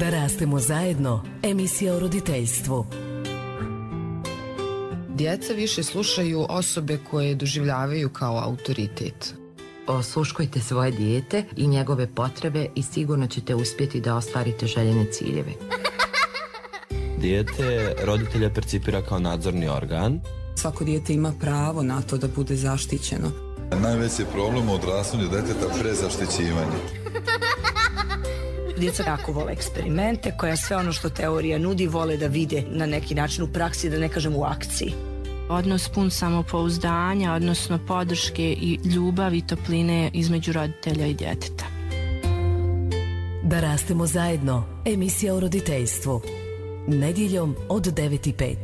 Da rastemo zajedno, emisija o roditeljstvu. Djeca više slušaju osobe koje doživljavaju kao autoritet. Osluškujte svoje dijete i njegove potrebe i sigurno ćete uspjeti da ostvarite željene ciljeve. Dijete roditelja percipira kao nadzorni organ. Svako dijete ima pravo na to da bude zaštićeno. Najveći problem u odrastanju djeteta prezaštićivanje. Djeca jako vole eksperimente, koja sve ono što teorija nudi vole da vide na neki način u praksi, da ne kažem u akciji. Odnos pun samopouzdanja, odnosno podrške i ljubavi i topline između roditelja i djeteta. Da rastemo zajedno, emisija o roditeljstvu. Nedjeljom od 9:05.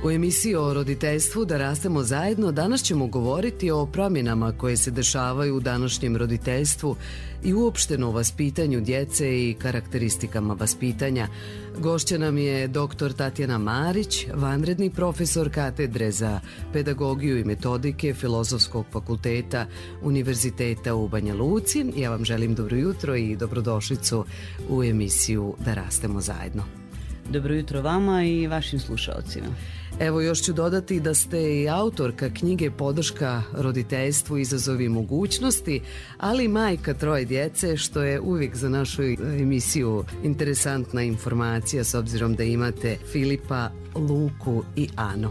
U emisiji o roditeljstvu Da rastemo zajedno danas ćemo govoriti o promjenama koje se dešavaju u današnjem roditeljstvu i uopšteno o vaspitanju djece i karakteristikama vaspitanja. Gošća nam je dr. Tatjana Marić, vanredni profesor katedre za pedagogiju i metodike Filozofskog fakulteta Univerziteta u Banja Luci. Ja vam želim dobro jutro i dobrodošlicu u emisiju Da rastemo zajedno. Dobro jutro vama i vašim slušalcima. Evo, još ću dodati da ste i autorka knjige Podrška roditeljstvu, izazovi i mogućnosti, ali i majka 3 djece, što je uvijek za našu emisiju interesantna informacija s obzirom da imate Filipa, Luku i Anu.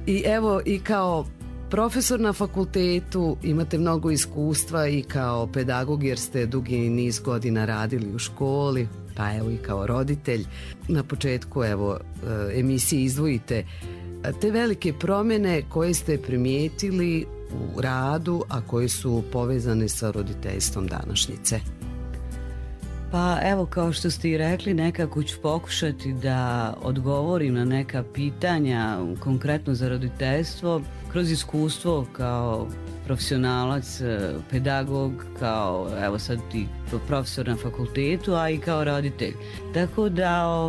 I evo, i kao profesor na fakultetu imate mnogo iskustva i kao pedagog jer ste dugi niz godina radili u školi, pa evo i kao roditelj. Na početku evo emisije izdvojite te velike promjene koje ste primijetili u radu, a koje su povezane sa roditeljstvom današnjice. Pa evo, kao što ste i rekli, nekako ću pokušati da odgovorim na neka pitanja konkretno za roditeljstvo kroz iskustvo kao profesionalac, pedagog, kao evo sad i profesor na fakultetu, a i kao roditelj. Tako da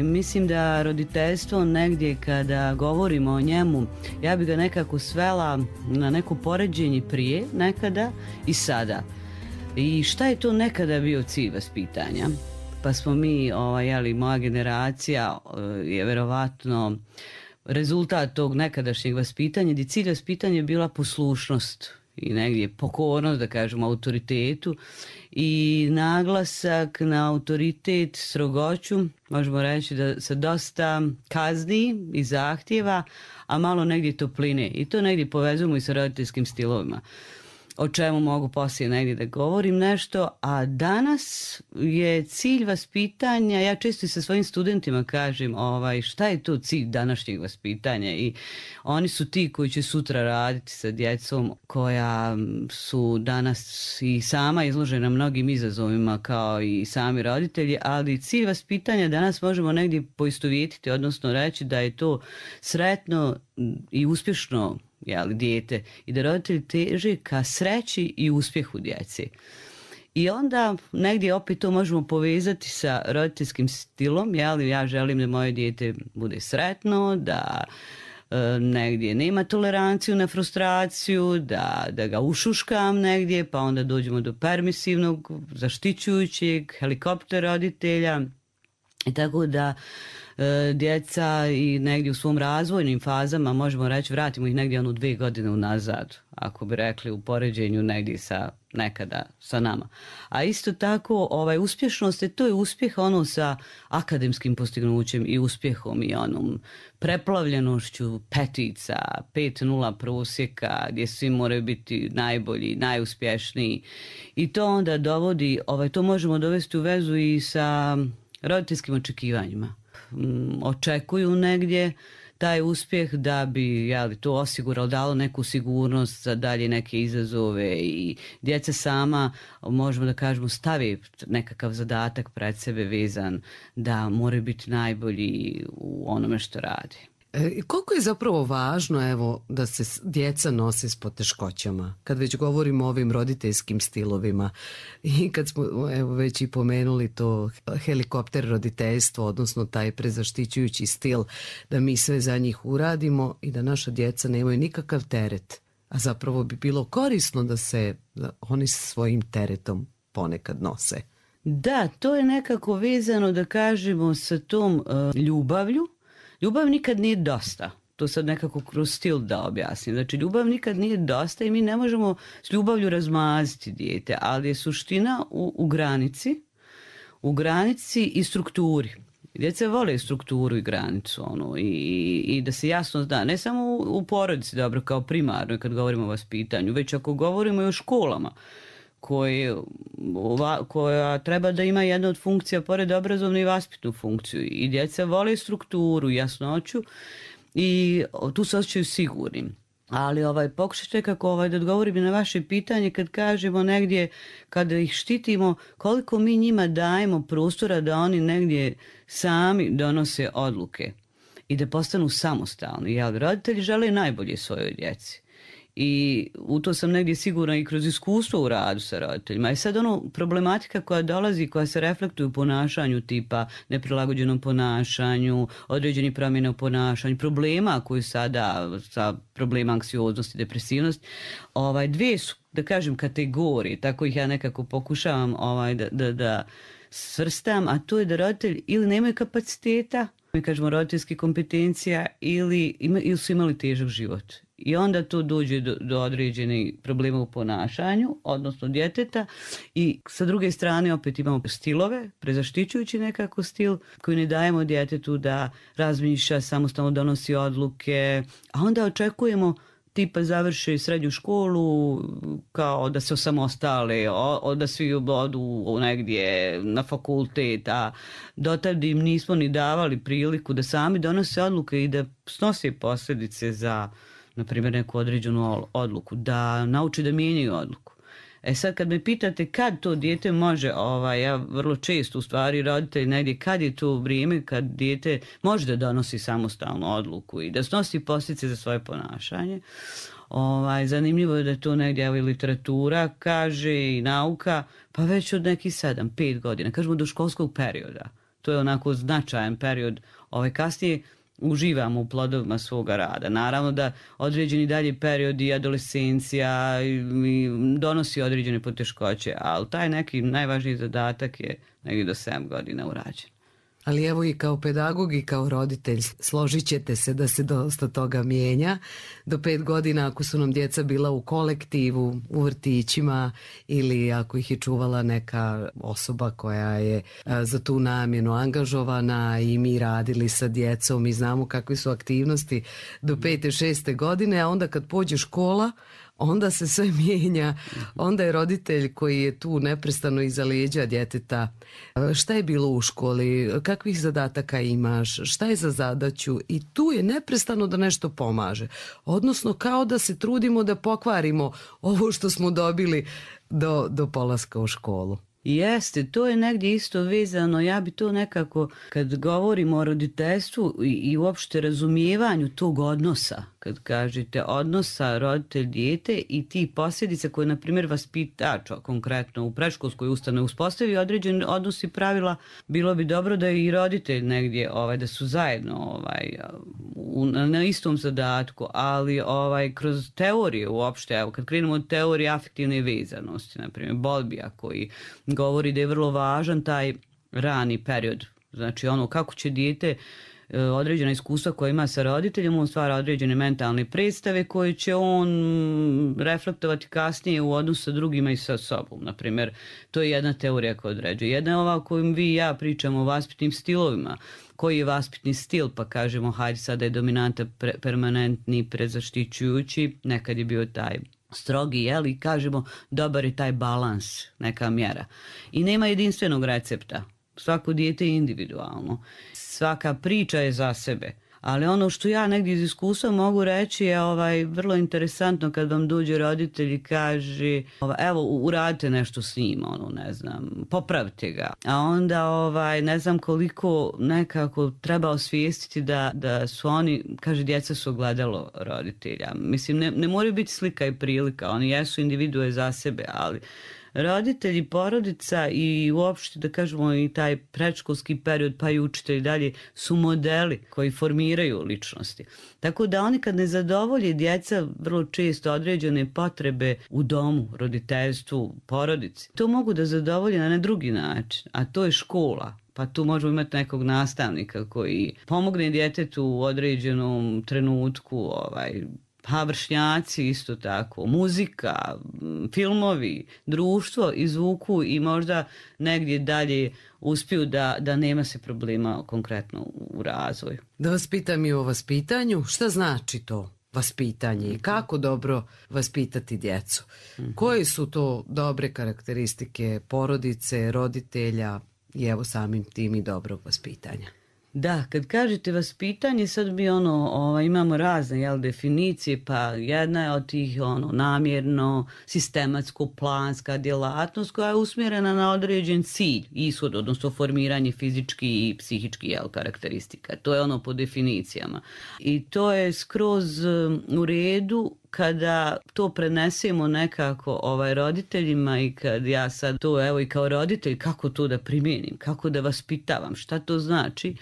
mislim da roditeljstvo negdje kada govorimo o njemu, ja bi ga nekako svela na neko poređenje prije nekada i sada. I šta je to nekada bio cilj vaspitanja? Pa smo mi, moja generacija je verovatno rezultat tog nekadašnjeg vaspitanja, gdje cilj vaspitanja je bila poslušnost i negdje pokornost, da kažemo, autoritetu i naglasak na autoritet, strogoću, možemo reći da se dosta kazni i zahtjeva, a malo negdje topline. I to negdje povezujemo i sa roditeljskim stilovima, o čemu mogu poslije negdje da govorim nešto. A danas je cilj vaspitanja, ja često i sa svojim studentima kažem šta je to cilj današnjeg vaspitanja, i oni su ti koji će sutra raditi sa djecom koja su danas i sama izložena mnogim izazovima kao i sami roditelji, ali cilj vaspitanja danas možemo negdje poistovjetiti, odnosno reći da je to sretno i uspješno dijete i da roditelji teže ka sreći i uspjehu djece. I onda negdje opet to možemo povezati sa roditeljskim stilom, ja želim da moje dijete bude sretno, da negdje nema toleranciju na frustraciju, da ga ušuškam negdje, pa onda dođemo do permisivnog, zaštićujućeg, helikopter roditelja. I tako da djeca i negdje u svom razvojnim fazama, možemo reći, vratimo ih negdje 2 godine unazad, ako bi rekli u poređenju negdje sa nekada sa nama. A isto tako uspješnost, to je uspjeh sa akademskim postignućem i uspjehom i onom preplavljenošću petica, 5.0 prosjeka, gdje svi moraju biti najbolji, najuspješniji. I to onda dovodi, to možemo dovesti u vezu i sa roditeljskim očekivanjima. Očekuju negdje taj uspjeh da bi to osiguralo, dalo neku sigurnost za dalje neke izazove, i djeca sama, možemo da kažemo, stavi nekakav zadatak pred sebe vezan da moraju biti najbolji u onome što radi. Koliko je zapravo važno da se djeca nose s poteškoćama, kad već govorimo o ovim roditeljskim stilovima i kad smo već i pomenuli to helikopter roditeljstvo, odnosno taj prezaštićujući stil, da mi sve za njih uradimo i da naša djeca nemaju nikakav teret a zapravo bi bilo korisno da oni svojim teretom ponekad nose. Da, to je nekako vezano, da kažemo, sa tom ljubavlju. Ljubav nikad nije dosta. To sad nekako kroz stil da objasnim. Znači, ljubav nikad nije dosta i mi ne možemo s ljubavlju razmaziti dijete, ali je suština u granici i strukturi. Djeca vole strukturu i granicu i da se jasno zna, ne samo u porodici, dobro, kao primarno kad govorimo o vaspitanju, već ako govorimo i o školama koja treba da ima jedna od funkcija pored obrazovne i vaspitnu funkciju. I djeca vole strukturu, jasnoću i tu se osjećaju sigurnim. Ali pokušat ću nekako da odgovorim na vaše pitanje kad kažemo negdje, kada ih štitimo, koliko mi njima dajemo prostora da oni negdje sami donose odluke i da postanu samostalni. Jer roditelji žele najbolje svojoj djeci. I u to sam negdje sigurna i kroz iskustvo u radu sa roditeljima. I sad problematika koja dolazi, koja se reflektuje u ponašanju, tipa neprilagođenom ponašanju, određeni promjene u ponašanju, problema koji sada, sa problema anksioznosti, depresivnosti, dvije su, da kažem, kategorije, tako ih ja nekako pokušavam da svrstam, a to je da roditelji ili nemaju kapaciteta, mi kažemo roditeljskih kompetencija, ili su imali težak život. I onda tu dođe do određenih problema u ponašanju, odnosno djeteta. I sa druge strane opet imamo stilove, prezaštićujući nekako stil koji ne dajemo djetetu da razmišlja, samostalno donosi odluke, a onda očekujemo tipa završe srednju školu kao da se osamostale, da svi odu negdje na fakultet, a dotad im nismo ni davali priliku da sami donose odluke i da snose posljedice za, na primjer, neku određenu odluku, da nauče da mijenjaju odluku. Sad kad me pitate kad to dijete može, ja vrlo često u stvari roditelj negdje, kad je to vrijeme kad dijete može da donosi samostalnu odluku i da snosi posljedice za svoje ponašanje. Zanimljivo je da to negdje i literatura kaže i nauka, pa već od nekih 7-5 godina, kažemo do školskog perioda. To je onako značajan period. Kasnije uživamo u plodovima svoga rada. Naravno da određeni dalje periodi, adolescencija donosi određene poteškoće, ali taj neki najvažniji zadatak je negdje do 7 godina urađen. Ali evo i kao pedagog i kao roditelj složit ćete se da se dosta toga mijenja. Do 5 godina ako su nam djeca bila u kolektivu, u vrtićima ili ako ih je čuvala neka osoba koja je za tu namjenu angažovana i mi radili sa djecom i znamo kakve su aktivnosti do 5. 6. godine, a onda kad pođe škola, onda se sve mijenja, onda je roditelj koji je tu neprestano iza leđa djeteta. Šta je bilo u školi, kakvih zadataka imaš, šta je za zadaću i tu je neprestano da nešto pomaže. Odnosno kao da se trudimo da pokvarimo ovo što smo dobili do polaska u školu. Jeste, to je negdje isto vezano, ja bi to nekako, kad govorimo o roditeljstvu i uopšte razumijevanju tog odnosa, kad kažete odnosa roditelj-dijete i ti posljedice koje, na primjer, vaspitač, konkretno u predškolskoj ustanovi uspostavi određen odnos i pravila, bilo bi dobro da i roditelj negdje, da su zajedno na istom zadatku, ali kroz teorije uopšte, evo, kad krenemo od teorije afektivne vezanosti, na primjer, Bowlbija koji govori da je vrlo važan taj rani period. Znači kako će dijete određena iskustva koja ima sa roditeljem, on stvara određene mentalne predstave koje će on reflektovati kasnije u odnosu sa drugima i sa sobom. Naprimjer, to je jedna teorija koja određuje. Jedna je ova o kojom vi i ja pričamo o vaspitnim stilovima. Koji je vaspitni stil, pa kažemo, hajde sada je dominanta permanentni, prezaštićujući, nekad je bio taj strogi, i kažemo dobar je taj balans, neka mjera. I nema jedinstvenog recepta. Svako dijete je individualno. Svaka priča je za sebe. Ali ono što ja negdje iz iskustva mogu reći je vrlo interesantno kad vam dođe roditelj i kaže evo uradite nešto s njim, popravite ga. A onda ne znam koliko nekako treba osvijestiti da su oni, kaže, djeca su ogledalo roditelja. Mislim, ne moraju biti slika i prilika, oni jesu individue za sebe, ali roditelji, porodica i uopšte da kažemo i taj predškolski period pa i učitelji dalje su modeli koji formiraju ličnosti. Tako da oni kad ne zadovolje djeca vrlo često određene potrebe u domu, roditeljstvu, porodici, to mogu da zadovolje na drugi način, a to je škola. Pa tu možemo imati nekog nastavnika koji pomogne djetetu u određenom trenutku, pa vršnjaci isto tako, muzika, filmovi, društvo izvuku i možda negdje dalje uspiju da nema se problema konkretno u razvoju. Da vas pitam i o vaspitanju, šta znači to vaspitanje i kako dobro vaspitati djecu? Koje su to dobre karakteristike porodice, roditelja i evo samim tim i dobrog vaspitanja? Da, kad kažete vaspitanje, sad mi imamo razne definicije, pa jedna je od tih namjerno, sistematsko, planska djelatnost koja je usmjerena na određen cilj, ishod, odnosno formiranje fizički i psihički karakteristika. To je po definicijama. I to je skroz u redu kada to prenesemo nekako roditeljima i kad ja sad to i kao roditelj kako to da primijenim, kako da vaspitavam, šta to znači,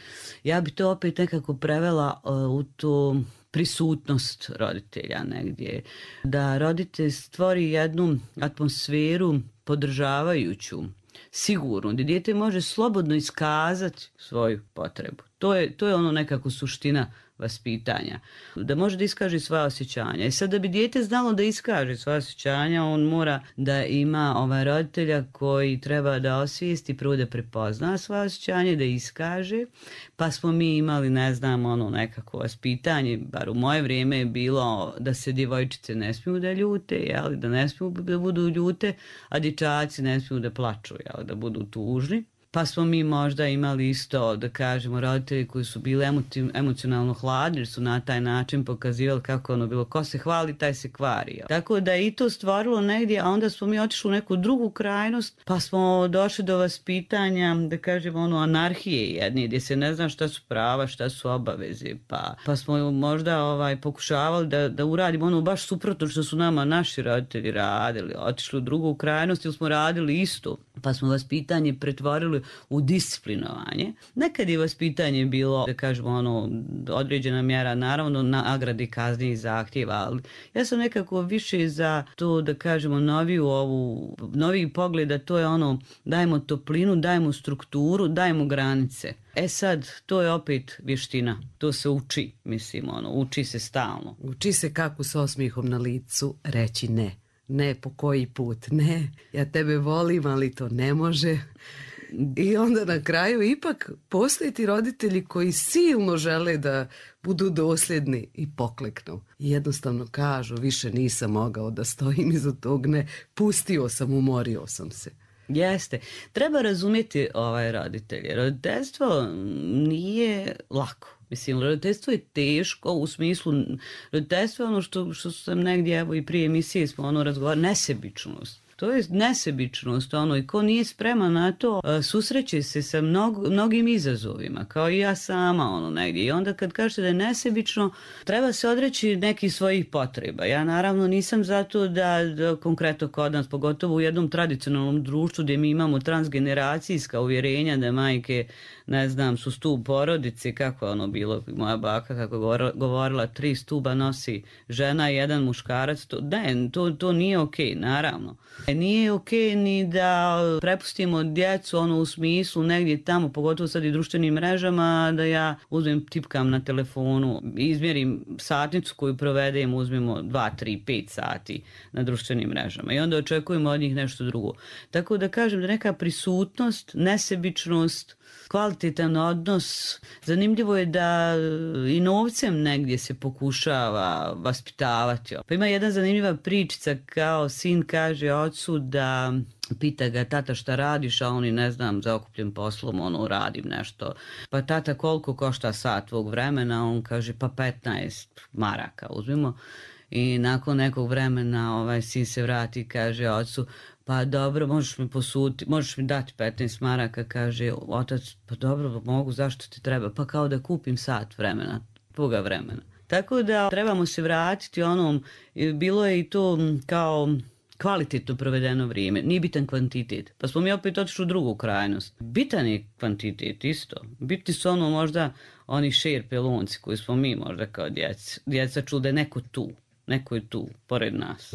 ja bi to opet nekako prevela u to prisutnost roditelja negdje. Da roditelj stvori jednu atmosferu podržavajuću, sigurno, gdje dijete može slobodno iskazati svoju potrebu. To je nekako suština vaspitanja. Da može da iskaže svoja osjećanja. I sad da bi dijete znalo da iskaže svoja osjećanja, on mora da ima roditelja koji treba da osvijesti, prvo da prepozna svoje osjećanje, da iskaže. Pa smo mi imali, nekako vaspitanje, bar u moje vrijeme je bilo da se djevojčice ne smiju da ljute, da ne smiju da budu ljute, a dječaci ne smiju da plaču, da budu tužni. Pa smo mi možda imali isto, da kažemo, roditelji koji su bili emocionalno hladni, jer su na taj način pokazivali kako bilo, ko se hvali, taj se kvari. Tako da je i to stvorilo negdje, a onda smo mi otišli u neku drugu krajnost, pa smo došli do vaspitanja, da kažemo, anarhije jedne, gdje se ne zna šta su prava, šta su obaveze, pa smo možda pokušavali da uradimo baš suprotno što su nama naši roditelji radili, otišli u drugu krajnost ili smo radili isto, pa smo vaspitanje pretvorili u disciplinovanje. Nekad je vaspitanje bilo, da kažemo, određena mjera, naravno, nagrade, kazni i zahtjeva, ali ja sam nekako više za to, da kažemo, noviji pogled, a to je dajemo toplinu, dajemo strukturu, dajemo granice. Sad, to je opet vještina. To se uči, uči se stalno. Uči se kako s osmijehom na licu reći ne. Ne, po koji put, ne, ja tebe volim, ali to ne može. I onda na kraju ipak postoje ti roditelji koji silno žele da budu dosljedni i pokleknu. I jednostavno kažu, više nisam mogao da stojim iza tog, ne, pustio sam, umorio sam se. Jeste. Treba razumjeti roditelje. Roditeljstvo nije lako. Roditeljstvo je teško u smislu, roditeljstvo je ono što sam negdje, i prije emisije smo razgovarali, nesebičnost. To je nesebičnost, i ko nije spreman na to, susreće se sa mnogim izazovima, kao i ja sama, negdje. I onda kad kažete da je nesebično, treba se odreći nekih svojih potreba. Ja naravno nisam zato da konkretno kod nas, pogotovo u jednom tradicionalnom društvu gdje mi imamo transgeneracijska uvjerenja da majke, su stup porodice, kako je bilo, moja baka kako je govorila, 3 stuba nosi žena i 1 muškarac, to nije okej, naravno. Nije okej ni da prepustimo djecu u smislu negdje tamo, pogotovo sad i društvenim mrežama, da ja uzmem, tipkam na telefonu, izmjerim satnicu koju provedem, uzmemo 2, 3, 5 sati na društvenim mrežama i onda očekujemo od njih nešto drugo. Tako da kažem da neka prisutnost, nesebičnost, kvalitetan odnos. Zanimljivo je da i novcem negdje se pokušava vaspitavati. Pa ima jedna zanimljiva pričica, kao sin kaže ocu da pita ga, tata šta radiš, a oni zaokupljen poslom, radim nešto. Pa tata, koliko košta sat tvog vremena? On kaže, pa 15 maraka uzmimo. I nakon nekog vremena sin se vrati i kaže ocu, pa dobro, možeš mi posuditi, možeš mi dati 15 maraka, kaže otac, pa dobro, mogu, zašto ti treba? Pa kao da kupim sat vremena, tvoga vremena. Tako da trebamo se vratiti bilo je i to kao kvalitetno provedeno vrijeme, nije bitan kvantitet. Pa smo mi opet otišli u drugu krajnost. Bitan je kvantitet isto. Bitni su ono možda oni šer pelunci koji smo mi možda kao djeca čuli da je neko je tu, pored nas.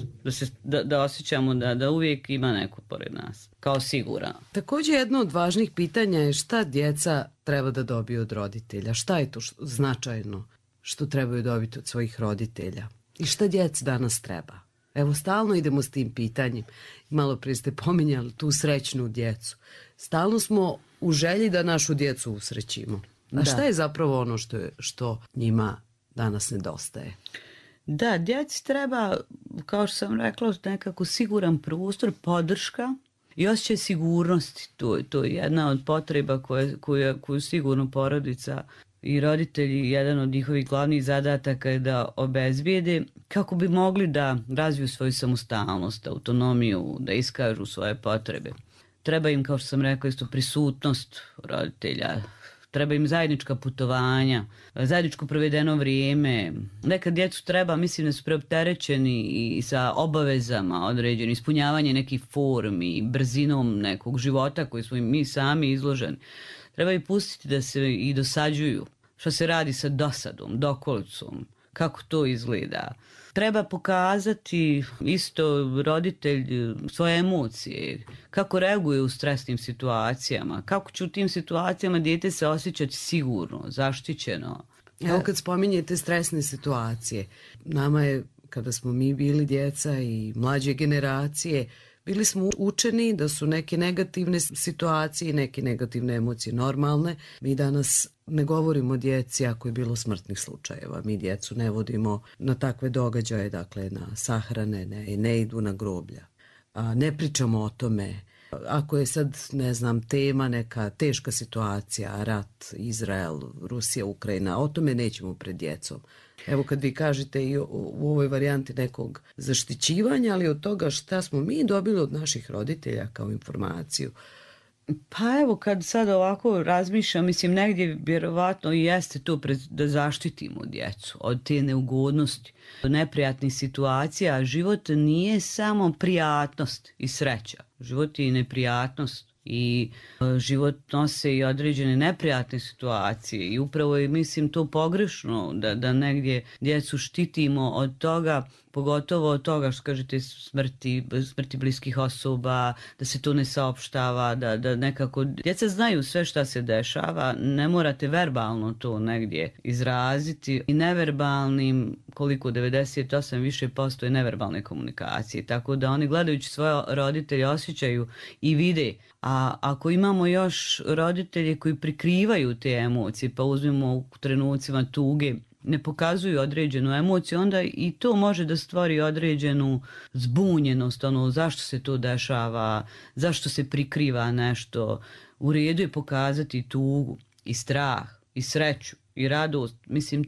Da osjećamo da uvijek ima neko pored nas, kao siguran. Također jedno od važnih pitanja je šta djeca treba da dobiju od roditelja. Šta je to značajno što trebaju dobiti od svojih roditelja? I šta djeci danas treba? Evo, stalno idemo s tim pitanjem. Malo prije ste pominjali tu srećnu djecu. Stalno smo u želji da našu djecu usrećimo. A šta je zapravo ono što njima danas nedostaje? Da, djeci treba, kao što sam rekla, nekako siguran prostor, podrška i osjećaj sigurnosti. To je jedna od potreba koju sigurno porodica i roditelji, jedan od njihovih glavnih zadataka je da obezbijede kako bi mogli da razviju svoju samostalnost, autonomiju, da iskažu svoje potrebe. Treba im, kao što sam rekla, isto prisutnost roditelja, treba im zajednička putovanja, zajedničko provedeno vrijeme. Nekad djecu treba, mislim da su preopterećeni i sa obavezama određeni, ispunjavanje nekih formi, brzinom nekog života koji smo mi sami izloženi. Treba ih pustiti da se i dosađuju. Što se radi sa dosadom, dokolicom, kako to izgleda. Treba pokazati isto roditelj svoje emocije, kako reaguje u stresnim situacijama, kako će u tim situacijama dijete se osjećati sigurno, zaštićeno. Evo kad spominjete stresne situacije, nama je, kada smo mi bili djeca i mlađe generacije, bili smo učeni da su neke negativne situacije i neke negativne emocije normalne. Mi danas ne govorimo o djeci ako je bilo smrtnih slučajeva. Mi djecu ne vodimo na takve događaje, dakle na sahrane, ne idu na groblja. Ne pričamo o tome. Ako je sad, ne znam, tema neka teška situacija, rat, Izrael, Rusija, Ukrajina, o tome nećemo pred djecom. Evo kad vi kažete i u ovoj varijanti nekog zaštićivanja, ali od toga šta smo mi dobili od naših roditelja kao informaciju. Pa evo kad sad ovako razmišljam, mislim negdje vjerovatno i jeste to da zaštitimo djecu od te neugodnosti, od neprijatnih situacija. Život nije samo prijatnost i sreća. Život je i neprijatnost. I život nose i određene neprijatne situacije i upravo je, mislim, to pogrešno da negdje djecu štitimo od toga, pogotovo od toga što kažete smrti bliskih osoba, da se to ne saopštava, da nekako djeca znaju sve šta se dešava, ne morate verbalno to negdje izraziti i neverbalnim, koliko 98% više je neverbalne komunikacije, tako da oni gledajući svoje roditelje osjećaju i vide. A ako imamo još roditelje koji prikrivaju te emocije, pa uzmemo u trenucima tuge, ne pokazuju određenu emociju, onda i to može da stvori određenu zbunjenost, zašto se to dešava, zašto se prikriva nešto. U redu je pokazati tugu i strah i sreću i radost. Mislim,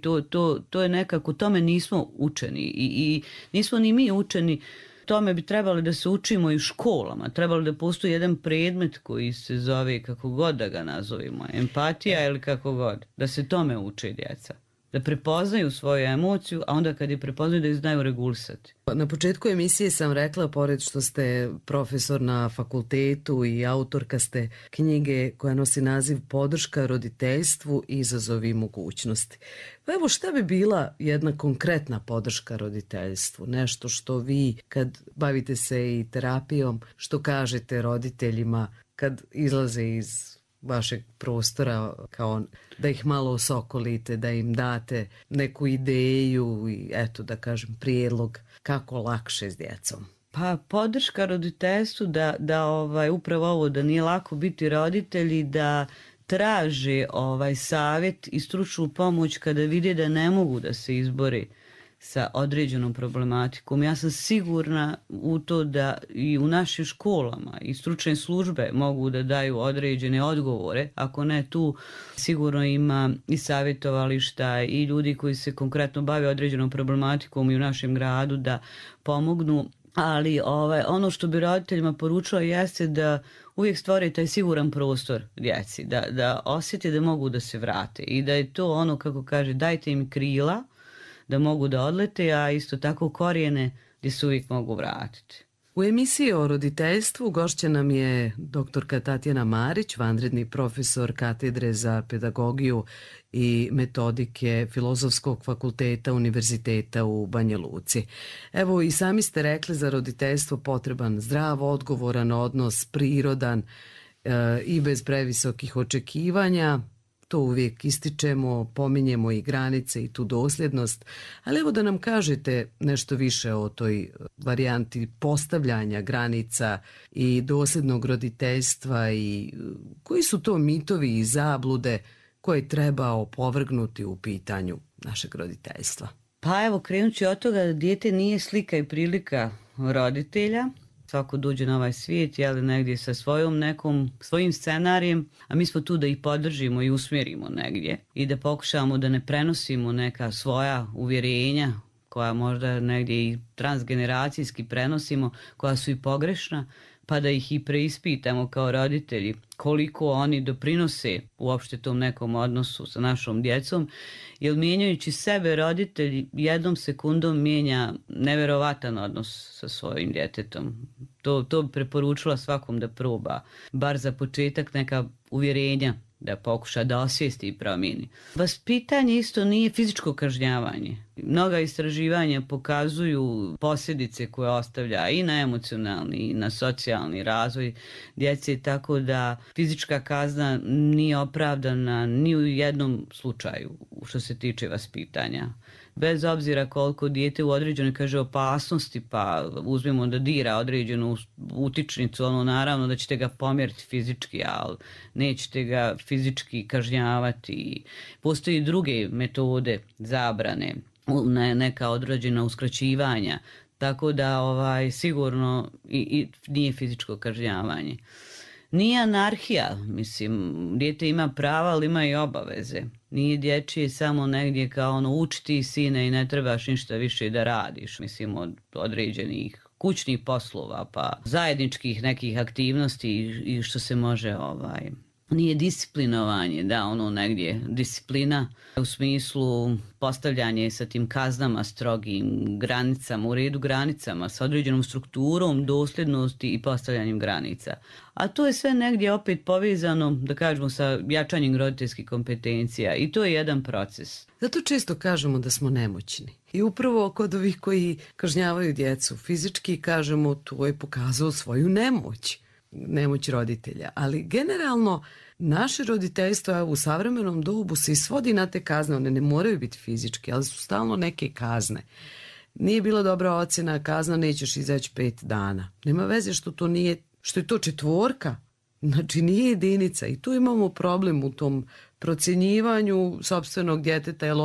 to je nekako, tome nismo učeni i nismo ni mi učeni. Tome bi trebalo da se učimo i u školama. Trebalo da postoji jedan predmet koji se zove, kako god da ga nazovimo, empatija ili kako god. Da se tome uče djeca. Da prepoznaju svoju emociju, a onda kad je prepoznaju da ih znaju regulisati. Na početku emisije sam rekla, pored što ste profesor na fakultetu i autorka ste knjige koja nosi naziv Podrška roditeljstvu i izazovi mogućnosti. Pa evo, šta bi bila jedna konkretna podrška roditeljstvu? Nešto što vi, kad bavite se i terapijom, što kažete roditeljima kad izlaze iz vašeg prostora, kao da ih malo osokolite, da im date neku ideju i eto da kažem prijedlog kako lakše s djecom. Pa podrška roditeljstvu da upravo ovo, da nije lako biti roditelji, da traže savjet i stručnu pomoć kada vide da ne mogu da se izbore sa određenom problematikom. Ja sam sigurna u to da i u našim školama i stručne službe mogu da daju određene odgovore. Ako ne, tu sigurno ima i savjetovališta i ljudi koji se konkretno bave određenom problematikom i u našem gradu da pomognu. Ali ono što bi roditeljima poručila jeste da uvijek stvore taj siguran prostor djeci, da osjete da mogu da se vrate i da je to ono, kako kaže, dajte im krila da mogu da odlete, a isto tako korijene gdje se uvijek mogu vratiti. U emisiji o roditeljstvu gošća nam je doktorka Tatjana Marić, vanredni profesor katedre za pedagogiju i metodike Filozofskog fakulteta Univerziteta u Banja Luci. Evo, i sami ste rekli za roditeljstvo potreban zdrav, odgovoran odnos, prirodan i bez previsokih očekivanja. To uvijek ističemo, pominjemo i granice i tu dosljednost, ali evo da nam kažete nešto više o toj varijanti postavljanja granica i dosljednog roditeljstva i koji su to mitovi i zablude koje treba opovrgnuti u pitanju našeg roditeljstva. Pa evo, krenući od toga da dijete nije slika i prilika roditelja. Svako dođe na ovaj svijet, jeli, negdje sa svojim scenarijem, a mi smo tu da ih podržimo i usmjerimo negdje i da pokušamo da ne prenosimo neka svoja uvjerenja koja možda negdje i transgeneracijski prenosimo, koja su i pogrešna, pa da ih i preispitamo kao roditelji koliko oni doprinose uopšte tom nekom odnosu sa našom djecom, jer mijenjajući sebe roditelj jednom sekundom mijenja neverovatan odnos sa svojim djetetom. To bi preporučila svakom da proba, bar za početak neka uvjerenja da pokuša da osvijesti i promijeni. Vaspitanje isto nije fizičko kažnjavanje. Mnoga istraživanja pokazuju posljedice koje ostavlja i na emocionalni i na socijalni razvoj djece, tako da fizička kazna nije opravdana ni u jednom slučaju što se tiče vaspitanja. Bez obzira koliko dijete u određenoj opasnosti, pa uzmemo da dira određenu utičnicu, naravno da ćete ga pomjeriti fizički, ali nećete ga fizički kažnjavati. Postoji druge metode zabrane, neka određena uskraćivanja, tako da sigurno i nije fizičko kažnjavanje. Nije anarhija, mislim, dijete ima prava, ali ima i obaveze. Nije dječje samo negdje kao učiti sine i ne trebaš ništa više da radiš, mislim, od određenih kućnih poslova, pa zajedničkih nekih aktivnosti i što se može nije disciplinovanje, negdje disciplina u smislu postavljanje sa tim kaznama, strogim granicama, u redu granicama, sa određenom strukturom, dosljednosti i postavljanjem granica. A to je sve negdje opet povezano, da kažemo, sa jačanjem roditeljskih kompetencija i to je jedan proces. Zato često kažemo da smo nemoćni. I upravo kod ovih koji kažnjavaju djecu fizički kažemo to je pokazao svoju nemoć roditelja. Ali generalno naše roditeljstvo u savremenom dobu se svodi na te kazne. One ne moraju biti fizičke, ali su stalno neke kazne. Nije bila dobra ocjena, kazna, nećeš izaći 5 dana. Nema veze što je to 4, znači nije jedinica. I tu imamo problem u tom procjenjivanju sopstvenog djeteta, jer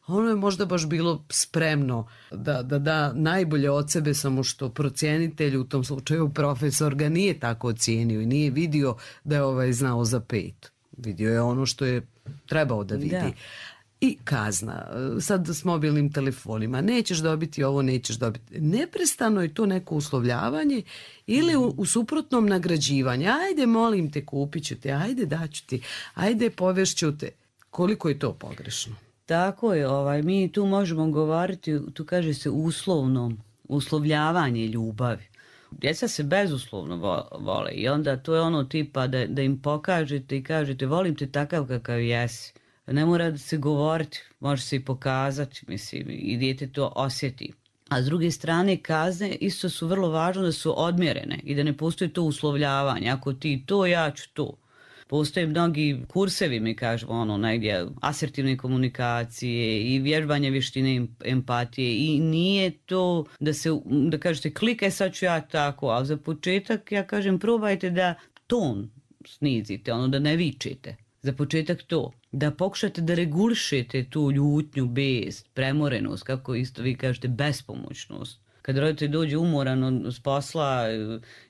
ono je možda baš bilo spremno da da najbolje od sebe, samo što procjenitelj, u tom slučaju profesor, ga nije tako ocijenio i nije vidio da je znao za 5. Vidio je ono što je trebao da vidi. Da. I kazna, sad s mobilnim telefonima, nećeš dobiti ovo, nećeš dobiti. Neprestano je to neko uslovljavanje ili u suprotnom nagrađivanje. Ajde, molim te, kupit ću te, ajde, daću ti, ajde, povešću te. Koliko je to pogrešno? Tako je, mi tu možemo govoriti, tu kaže se uslovljavanje ljubavi. Djeca se bezuslovno vole i onda to je ono tipa da im pokažete i kažete volim te takav kakav jesi. Ne mora da se govoriti, može se i pokazati, mislim, i dijete to osjeti. A s druge strane, kazne isto su vrlo važno da su odmjerene i da ne postoji to uslovljavanje. Ako ti to, ja ću to. Postoje mnogi kursevi, mi kažemo, negdje asertivne komunikacije i vježbanje vještine empatije i nije to da kažete klikaj sad ću ja tako, ali za početak ja kažem probajte da ton snizite, da ne vičete. Za početak to, da pokušate da regulišete tu ljutnju, bes, premorenost, kako isto vi kažete, bespomoćnost. Kad roditelj dođe umoran s posla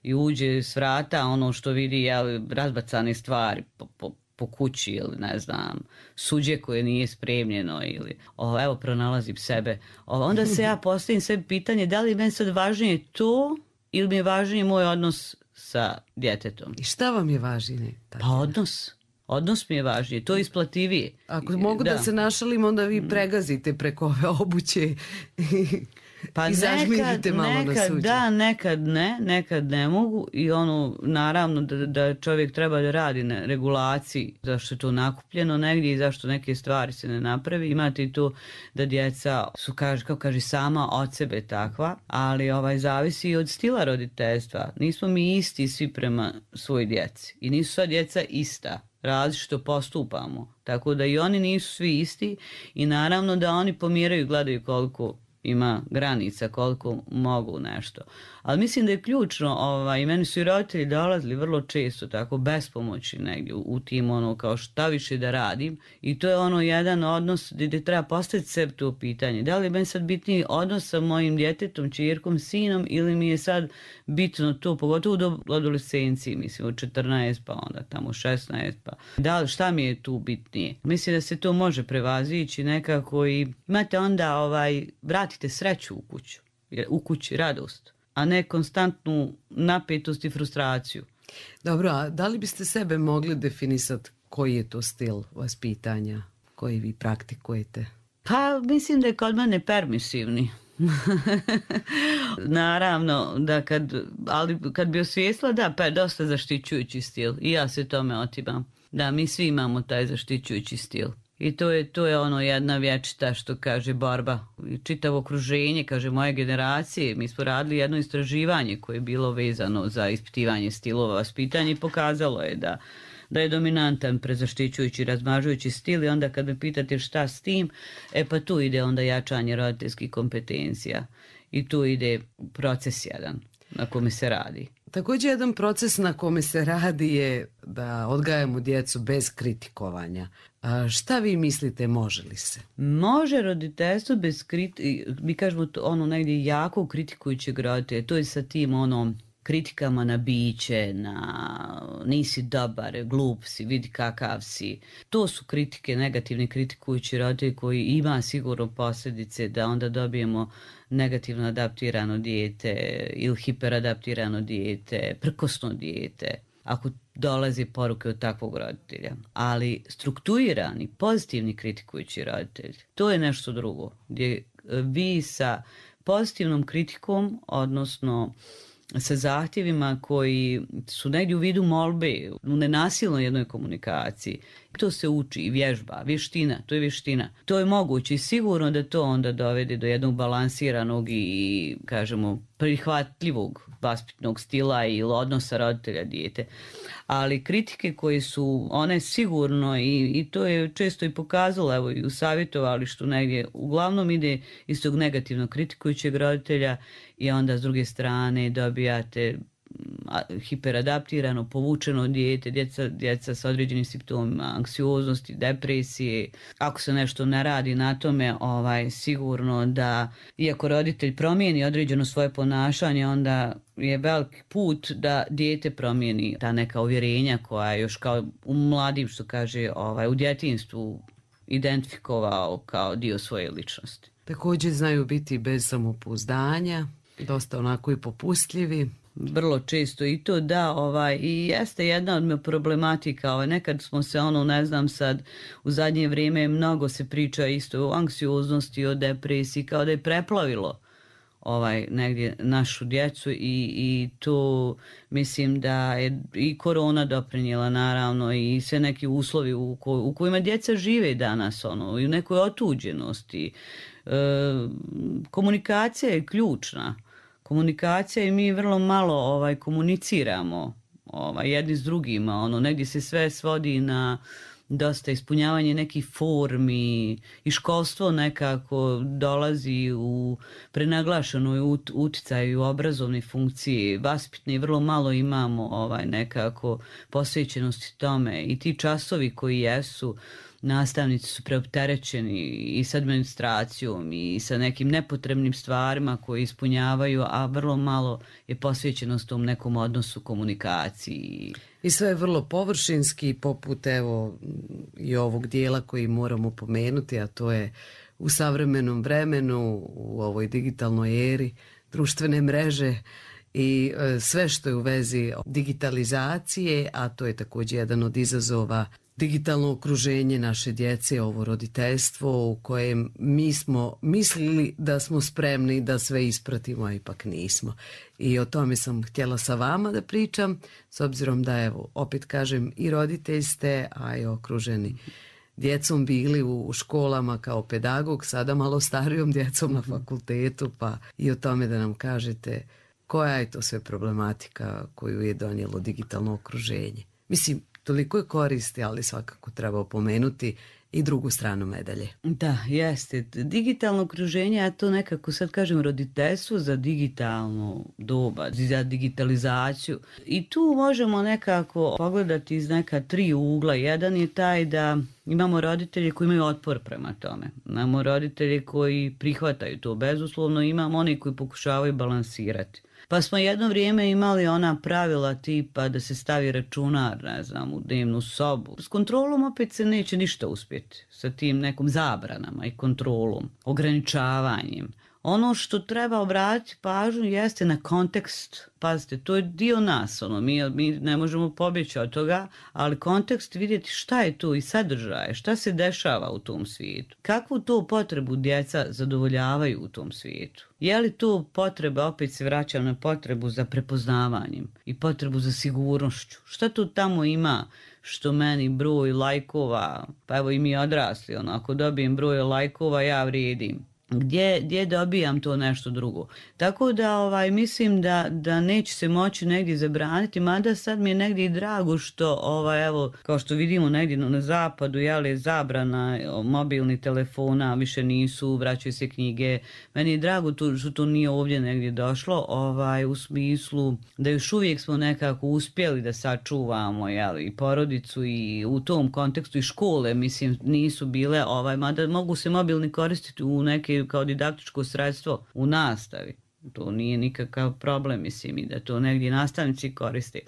i uđe s vrata, ono što vidi razbacane stvari po kući ili ne znam, suđe koje nije spremljeno ili evo pronalazim sebe. Onda se ja postavim sebi pitanje da li meni sad važnije to ili mi je važnije moj odnos sa djetetom. I šta vam je važnije? Pa odnos. Odnos mi je važnije, to je isplativije. Ako mogu da se našalim, onda vi pregazite preko ove obuće. Pa I zažmirite malo na nekad suđe. da, nekad ne mogu i ono, naravno da čovjek treba da radi na regulaciji zašto je to nakupljeno negdje i zašto neke stvari se ne napravi. Imate i to da djeca su, kako kaže, sama od sebe takva, ali zavisi i od stila roditeljstva. Nismo mi isti svi prema svoj djeci i nisu sva djeca ista. Različito postupamo, tako da i oni nisu svi isti i naravno da oni pomjeraju, gledaju koliko ima granica, koliko mogu nešto. Ali mislim da je ključno, i meni su i roditelji dolazili vrlo često tako bespomoćni negdje u tim kao šta više da radim i to je jedan odnos gdje treba postaviti sebi to pitanje. Da li je meni sad bitniji odnos sa mojim djetetom, ćerkom, sinom ili mi je sad bitno to, pogotovo do adolescenciji, mislim od 14 pa onda tamo 16 pa. Šta mi je tu bitnije? Mislim da se to može prevazići nekako i imate onda vratite sreću u kući radost, a ne konstantnu napetost i frustraciju. Dobro, a da li biste sebe mogli definisati koji je to stil vaspitanja koji vi praktikujete? Pa mislim da je kod mene permisivni. Naravno, da kad bi osvijestila, da, pa je dosta zaštićujući stil i ja se tome otimam. Da, mi svi imamo taj zaštićujući stil. I to je jedna vječita, što kaže, borba. Čitavo okruženje, kaže, moje generacije. Mi smo radili jedno istraživanje koje je bilo vezano za ispitivanje stilova vaspitanja i pokazalo je da je dominantan prezaštićujući, razmažujući stil i onda kad me pitate šta s tim, pa tu ide onda jačanje roditeljskih kompetencija i tu ide proces jedan na kome se radi. Također jedan proces na kome se radi je da odgajamo djecu bez kritikovanja. Šta vi mislite, može li se? Može roditeljstvo bez mi kažemo negdje jako kritikujućeg roditelja, to je sa tim kritikama na biće, na nisi dobar, glup si, vidi kakav si. To su kritike, negativni kritikujući roditelji koji ima sigurno posljedice da onda dobijemo negativno adaptirano dijete ili hiperadaptirano dijete, prkosno dijete, ako dolazi poruke od takvog roditelja. Ali strukturirani, pozitivni kritikujući roditelj, to je nešto drugo, gdje vi sa pozitivnom kritikom, odnosno sa zahtjevima koji su negdje u vidu molbe, u nenasilnoj jednoj komunikaciji. To se uči i vježba, vještina. To je moguće i sigurno da to onda dovede do jednog balansiranog i, kažemo, prihvatljivog vaspitnog stila ili odnosa roditelja dijete. Ali kritike koje su, one sigurno i to je često i pokazalo, evo i u savjetovalištu negdje, uglavnom ide iz tog negativno kritikujućeg roditelja i onda s druge strane dobijate hiperadaptirano, povučeno dijete, djeca sa određenim simptomima anksioznosti, depresije. Ako se nešto ne radi na tome, sigurno da, iako roditelj promijeni određeno svoje ponašanje, onda je veliki put da dijete promijeni ta neka uvjerenja koja je još kao u mladim, što kaže, u djetinjstvu identifikovao kao dio svoje ličnosti. Također znaju biti bez samopouzdanja, dosta onako i popustljivi. Vrlo često i to da, i jeste jedna od problematika, nekad smo se ne znam sad, u zadnje vrijeme mnogo se priča isto o anksioznosti, o depresiji, kao da je preplavilo negdje našu djecu i to mislim da je i korona doprinijela naravno i sve neki uslovi u kojima djeca žive danas, i u nekoj otuđenosti. Komunikacija je ključna. Komunikacija i mi vrlo malo komuniciramo jedni s drugima, negdje se sve svodi na dosta ispunjavanje nekih formi i školstvo nekako dolazi u prenaglašenoj utjecaju u obrazovne funkcije, vaspitne, vrlo malo imamo nekako posvećenosti tome i ti časovi koji jesu, nastavnici su preopterećeni i s administracijom i sa nekim nepotrebnim stvarima koje ispunjavaju, a vrlo malo je posvećenost tom nekom odnosu komunikaciji. I sve je vrlo površinski, poput evo i ovog dijela koji moramo pomenuti, a to je u savremenom vremenu, u ovoj digitalnoj eri, društvene mreže i sve što je u vezi digitalizacije, a to je također jedan od izazova digitalno okruženje naše djece, ovo roditeljstvo u kojem mi smo mislili da smo spremni da sve ispratimo, a ipak nismo. I o tome sam htjela sa vama da pričam, s obzirom da, evo, opet kažem, i roditelj ste, a i okruženi djecom bili u školama kao pedagog, sada malo starijom djecom na fakultetu, pa i o tome da nam kažete koja je to sve problematika koju je donijelo digitalno okruženje. Mislim, toliko je koristi, ali svakako treba opomenuti i drugu stranu medalje. Da, jeste. Digitalno okruženje, ja to nekako sad kažem roditeljstvo za digitalno doba, za digitalizaciju. I tu možemo nekako pogledati iz neka 3 ugla. Jedan je taj da imamo roditelje koji imaju otpor prema tome. Imamo roditelje koji prihvataju to bezuslovno, imamo oni koji pokušavaju balansirati. Pa smo jedno vrijeme imali ona pravila tipa da se stavi računar, ne znam, u dnevnu sobu. S kontrolom opet se neće ništa uspjeti. Sa tim nekom zabranama i kontrolom, ograničavanjem. Ono što treba obratiti pažnju jeste na kontekst. Pazite, to je dio nas, mi ne možemo pobjeći od toga, ali kontekst vidjeti šta je tu i sadržaje, šta se dešava u tom svijetu. Kakvu to potrebu djeca zadovoljavaju u tom svijetu? Je li to potreba, opet se vraćam na potrebu za prepoznavanjem i potrebu za sigurnošću? Šta tu tamo ima što meni broj lajkova, pa evo i mi odrasli, ako dobijem broj lajkova ja vrijedim. Gdje dobijam to nešto drugo. Tako da mislim da neće se moći negdje zabraniti, mada sad mi je negdje i drago što evo, kao što vidimo negdje na zapadu, je zabrana mobilnih telefona, više nisu, vraćaju se knjige. Meni je drago što to nije ovdje negdje došlo, u smislu da još uvijek smo nekako uspjeli da sačuvamo i porodicu i u tom kontekstu i škole, mislim, nisu bile, mada mogu se mobilni koristiti u neke kao didaktičko sredstvo u nastavi. To nije nikakav problem, mislim, i da to negdje nastavnici koriste.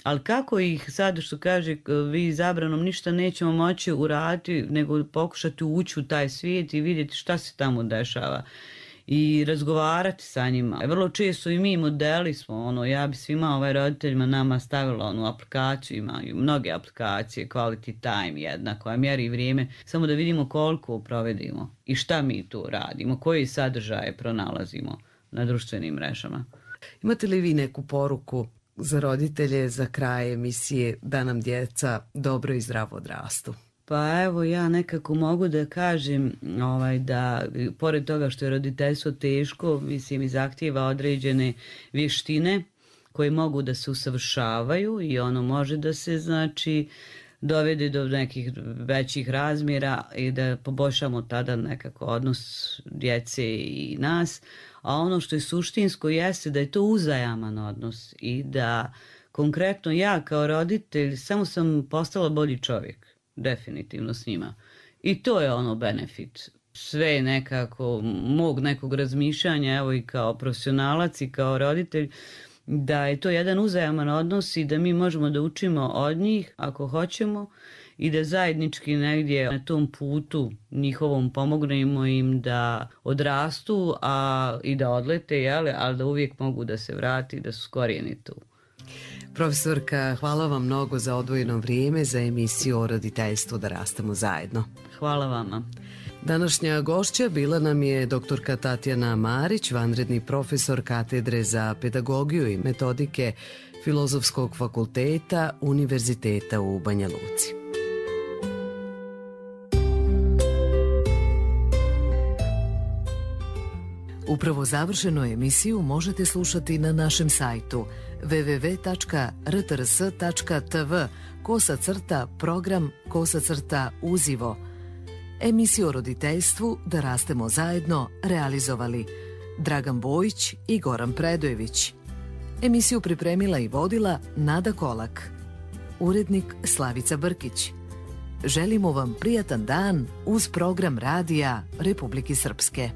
Ali kako ih sad, što kaže, vi zabranom ništa nećemo moći uraditi, nego pokušati ući u taj svijet i vidjeti šta se tamo dešava i razgovarati sa njima. Vrlo često i mi modeli smo, ja bi svima roditeljima nama stavila onu aplikaciju, imaju mnoge aplikacije, Quality Time jedna koja mjeri vrijeme, samo da vidimo koliko provedimo i šta mi tu radimo, koji sadržaje pronalazimo na društvenim mrežama. Imate li vi neku poruku za roditelje za kraj emisije da nam djeca dobro i zdravo odrastu? Pa evo, ja nekako mogu da kažem da pored toga što je roditeljstvo teško, mislim, i zahtijeva određene vještine koje mogu da se usavršavaju i ono može da se, znači, dovede do nekih većih razmjera i da poboljšamo tada nekako odnos djece i nas. A ono što je suštinsko jeste da je to uzajaman odnos i da konkretno ja kao roditelj samo sam postala bolji čovjek. Definitivno s njima. I to je benefit. Sve nekako mog nekog razmišljanja, evo i kao profesionalac i kao roditelj, da je to jedan uzajaman odnos i da mi možemo da učimo od njih ako hoćemo i da zajednički negdje na tom putu njihovom pomognemo im da odrastu i da odlete, ali da uvijek mogu da se vrati i da su skorijeni tu. Profesorka, hvala vam mnogo za odvojeno vrijeme za emisiju o roditeljstvu Da rastemo zajedno. Hvala vama. Današnja gošća bila nam je doktorka Tatjana Marić, vanredni profesor katedre za pedagogiju i metodike Filozofskog fakulteta Univerziteta u Banja Luci. Upravo završenu emisiju možete slušati na našem sajtu www.rtrs.tv/program/uzivo. Emisiju o roditeljstvu Da rastemo zajedno realizovali Dragan Bojić i Goran Predojević. Emisiju pripremila i vodila Nada Kolak. Urednik Slavica Brkić. Želimo vam prijatan dan uz program radija Republike Srpske.